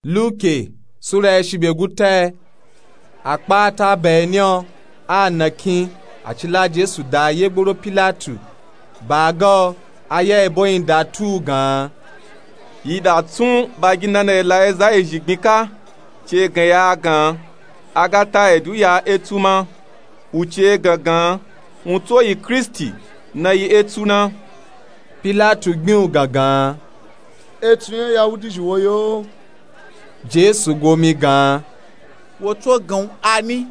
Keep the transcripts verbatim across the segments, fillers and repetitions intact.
Luke sura ya shibye guta. Akpata bayani o a nakin, a ci la Jesu da ye gboro Pilatu. Ba ga o, a ya ebo yin da tu u gan. Yi da tsun baginana yi la eza ezhi gbin ka, ci egan ya a gan, a ga ta edu ya etu ma. U ci egan gan, u tso yi Kristi, na yi etu na. Pilatu gbin u gangan. Etu yan Yahudi zhi wo yo? Jesu gomi gan. Wo tso gan u ani.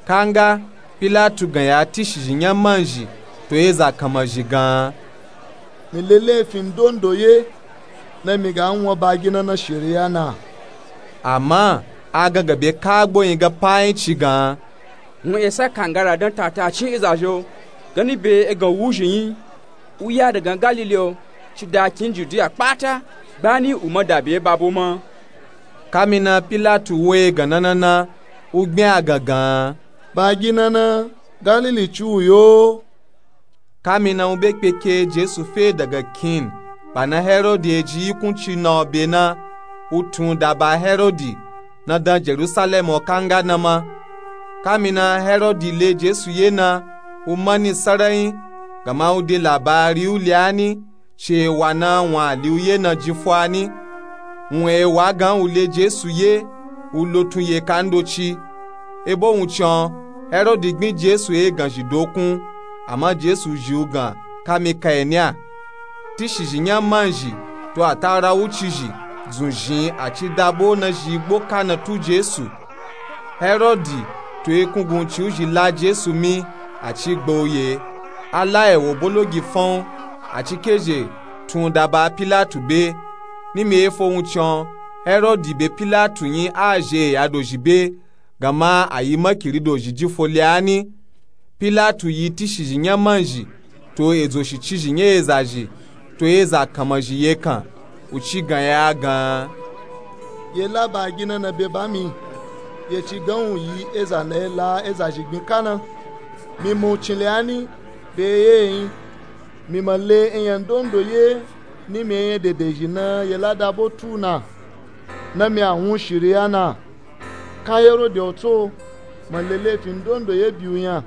Kanga Pilatu gan ya tishizhi nya manzhi to eza kanmazhi gan. Mi le lefin ndondo ye, na mi ga wan baginana shiriya na. Ama a gangan be kagbo yin ga pa yin ci gan. Wun esa kangara dan tata cin eza zhi o, gani be egan wuzhi yin. U ya dagan Galili o, ci da kin Judiya kpata, gbani u ma da be babo ma. Kamina Pilatu wo egan nana na, u gbin a gangan. Baginana Galili ci u yo? Kamina u be kpeke Jesu fe daga kin, ba na Herodi eji yikun ci na o be na, u tun da ba Herodi na dan Jerusalem o kanga na ma. Kamina Herodi le Jesu ye na, u mani sarayin, gama u de labari u le ani, ci ewa na wun a li u ye na jin fo ani. Wun ewa gan u le Jesu ye, u lotun yeka ndoci. Ebo wun can, Herodi gbin Jesu egan zhi dokun, ama Jesu zhi u gan kami kaeni a. Tishizhi nya manzhi to atara wucizhi dzun zhin a ci dabo na zhi gbo ka na tu Jesu. Herodi to ekungun ci u zhi la Jesu mi, a ci gba u ye, a la ewo bologi fan u, a ci kezhe tun da ba Pilatu be. Nimi efo wun can, Herodi be Pilatu yin a zhe eya dozhi be, gama a yi makiri dozhi jin fo le ani. Pilatu yi tishizhi nya manzhi to edzo shicizhi nya eza zhi to eza kanmazhi yekan, u ci gan ya a gan. Ye la baginana be ba mi, ye ci gan u yi eza na ye la eza zhi gbin ka na. Mi ma u cin le ani, be ye yin. Mi ma le eyan ndondo ye, nimi eyan dede zhi na ye la dabo tu na, na mi a wun shiriya na. Ka Herodi o tso, ma le lefin ndondo ye bi u yan,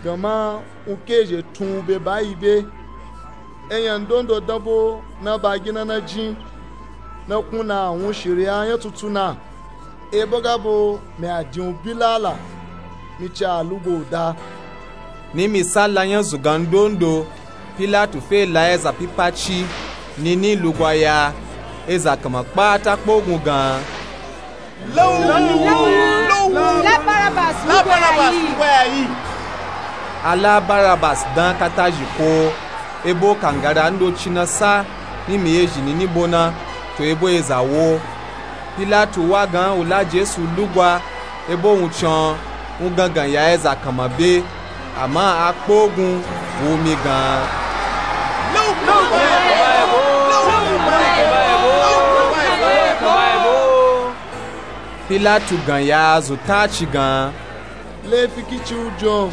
gama u kezhe tun u be bayi be. Eyan ndondo danbo na baginana jin, na kun na a wun shiriya nya tutu na. Ebo gabo mi a din u bilala, mi ci a lugo u da. Nimi salla nya zungan ndondo, Pilatu fe la eza pipa ci, nini lugwa ya, eza kanma kpata kpogun gan. La u! La u! La Barabas lugwa ya yi! A la Barabas dan kata zhi ko, ebo kangara ndoci na sa nimi ye zhi nini bo na, to ebo eza wo. Pilatu wa gan u la Jesu lugwa, ebo wun can, u gangan ya eza kanma be, ama a kpogun wu mi gan. Pilatu gan ya zun ta ci gan. Lefi kici u jin o?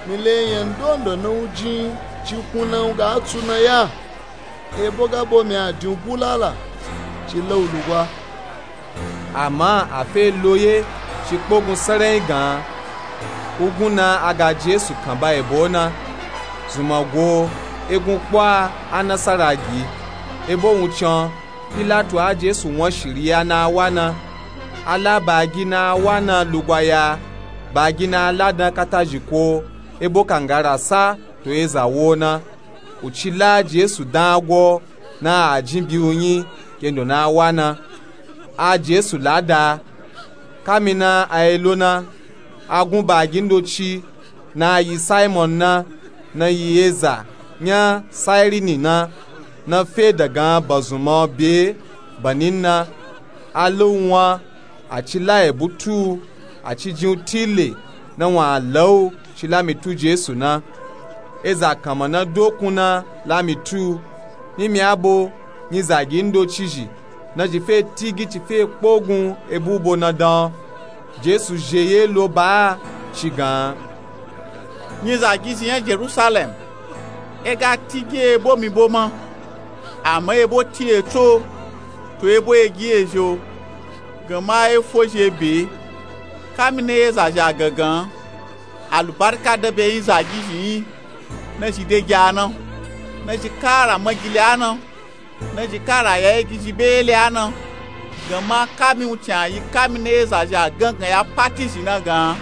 Mi le eyan ndondo na u jin ci kun na u ga tsu na ya. Ebo gabo mi a din u bulala, ci la u lugwa. Ama a fe lo ye ci kpogun sarayin gan. Ugun na a ga Jesu kan ba ebo na. Zunma go, egun kpo a, a nasara gi. Ebo wun can, Pilatu a Jesu wan shiriya na a wa na. A la bagi na a wa na lugwa ya, bagi na a la dan kata zhi ko, ebo kangara sa to eza wo na. U ci la Jesu dan a gwo na a jin bi u yin kendo na a wa na. A Jesu la da. Kamina a yi lo na, a gun bagi ndoci na a yi Simon na, na yi eza nya Sairini na, na fe dagan bazunma o be banin na. A la u wan, a ci la ebu tu u, a ci jin u tile na wun a la u ci la mi tu Jesu na. Eza kanma na dokun na la mi tu u, nimi abo nyizagi ndoci zhi na zhi fe tigi ci fe kpogun ebu bo na dan. Jesu zhe ye lo ba a ci gan. Nyizagi zhi nya Jerusalem, e ga tigi ebo mi bo ma, ama ebo ti etso, to ebo egi ezhi o, gan ma efozhi ebe. Kamina ezazhi a gangan, alubarika danbe nyi zagizhi nyi, nazhi degi a na, nazhi kara magili a na, nazhi kara ya egizhi bele a na. Gan ma kami wuncin a yi kamina ezazhi a gangan ya pati zhi na gan,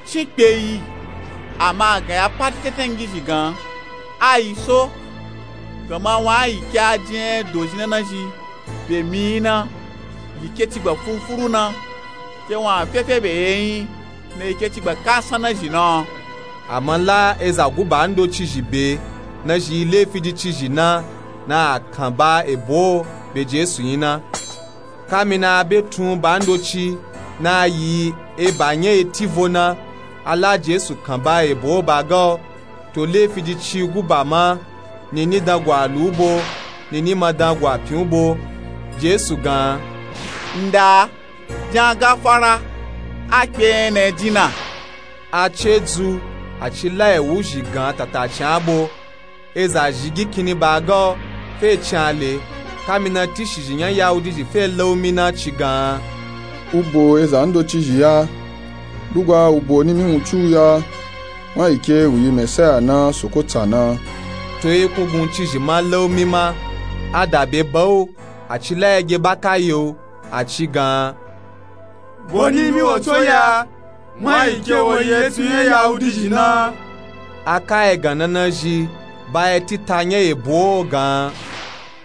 cinkpe yi, ama a gan ya pati tenten ngizhi gan, a yi so. Gan ma wun a yi ke a jin dozhi na nazhi be mi na, yi ke cigba furufuru na, ke wun a fefe be ye nyi, na yi ke cigba kasan nazhi na. Ama la eza guba ndoci zhi be, nazhi lefi ji cizhi na, na a kan ba ebo be Jesu nyi na. Kamina a be tun ba ndoci na yi eba nya eti vo na, a la Jesu kan ba ebo ba ga o, to lefi ji ci guba ma, nini dan gwa lu u bo, nini ma dan gwa pyin u bo. Jesu gan, nda, jan gafara, a kpe enya na e jin na. A ce dzu, a ci la ewu zhi gan tatacin a bo. Eza zhi gi kinni ba ga o, fe cin a le. Kamina tishizhi nya Yahudizhi fe la u mi na ci gan, u bo eza ndoci zhi ya, lugwa u bo nimi wuncin u ya, wun a yi ke u yi Mesaya na, Soko tsa na. To yi kunguncizhi ma la u mi ma, a da be ba u, a ci la ya ge ba ka ye u, a ci gan, bo nimi wo tso ya, wun a yi ke wo yi etsu nya Yahudizhi na. A ka egan na nazhi ba etita nya ebo o gan,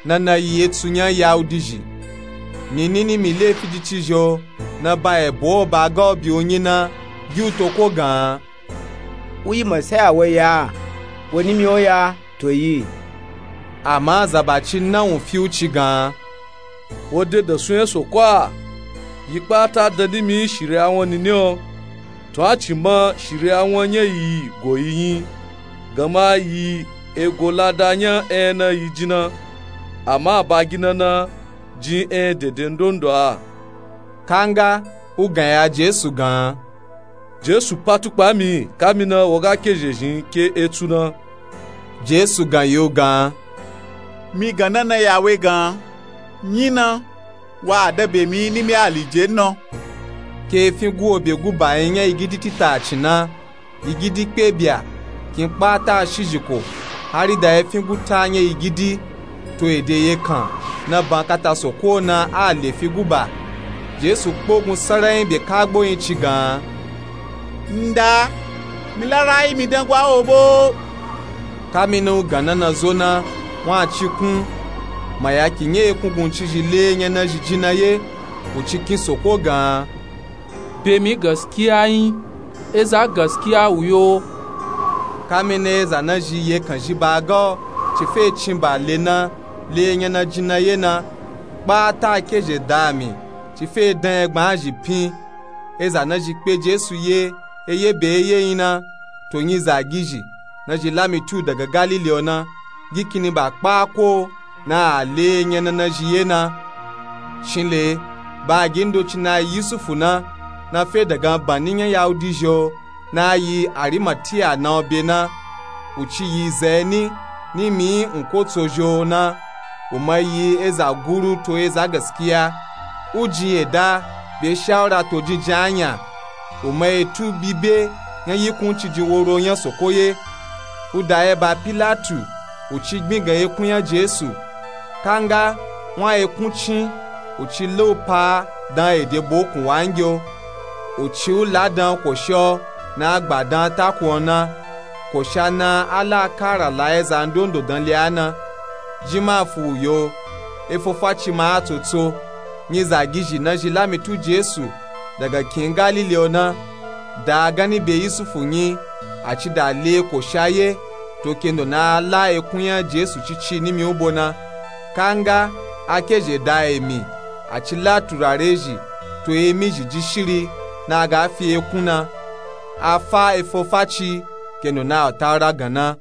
na na yi etsu nya Yahudizhi. Nini nimi lefi ji cizhi o, na ba ebo o ba ga o bi u nyi na, gi u to ko gan, u yi Mesaya wo ya, wo nimi o ya, to yi. Ama zabaci na wun fi u ci gan, wo de dansun nya Soko a? Yi kpata dan nimi shiriya won nini o. To a ci ma shiriya won nya yi go yi nyi, gan ma yi ego lada nya enya na yi jin na. Ama a ba gi na na jin enya dede ndondo a. Kanga u gan ya Jesu gan, Jesu pa tukpa mi, kamina wo ga kezhezhin ke etsu na. Jesu gan yi u gan, mi gan na na ya we gan, nyi na, wa a dan be mi nimi alije na. Ke efin gu wo be guba nyi nya yi gidi titacin na, yi gidi kpe bya, kin kpata shizhiko, hari da efin guta nya yi gidi, to ede yekan na ban kata Soko na a le fi guba. Jesu kpogun saranyi be kagbo nyi ci gan, nda, mi la rayi mi dan gwa wo bo. Kamina u gan na na zo na, wun a ci kun, mayaki nya ekunguncizhi le enya nazhi jin na ye, u ci kin Soko gan, be mi gaskiya nyi, eza gaskiya u yo. Kamina eza nazhi yekan zhi ba ga o, ci fe cin ba le na, le enya na jin na ye na, kpata kezhe da mi, ci fe dan enya gbaa zhi pyin. Eza nazhi kpe Jesu ye, eye be eye nyi na, to nyi zagizhi nazhi la mi tu daga Galili o na, gi kinni ba kpa ko na a le enya na nazhi ye na. Cin le, ba gi ndoci na yi Yusufu na, na fe daga banni nya Yahudizhi o, na yi Arimatiya na o be na. U ci yi zeni, nimi nkotsozhi o na. U ma yi eza guru to eza gaskiya. U jin yeda be shawura to jinjin anya. U ma etu bibe nya yikun cijin woro nya Soko ye. U da ye ba Pilatu, u ci gbin gan ekun nya Jesu. Kanga, wun a ekun cin, u ci la u pa dan ede bokun wangi o. U ci u la dan kosha o, na gba dan takun o na. Kosha na a la kara la eza ndondo dan le a na. Jin ma fu u yo, efofaci ma a tsotso. Nyi zagizhi nazhi la mi tu Jesu daga kin Galili o na, da ganni be Yusufu nyi, a ci da le kosha ye, to kendo na a la ekun nya Jesu cici nimi u bo na. Kanga, a kezhe da emi, a ci la turare zhi, to emi zhi jishiri, na a ga fi ekun na. A fa efofaci, kendo na Atawura gan na.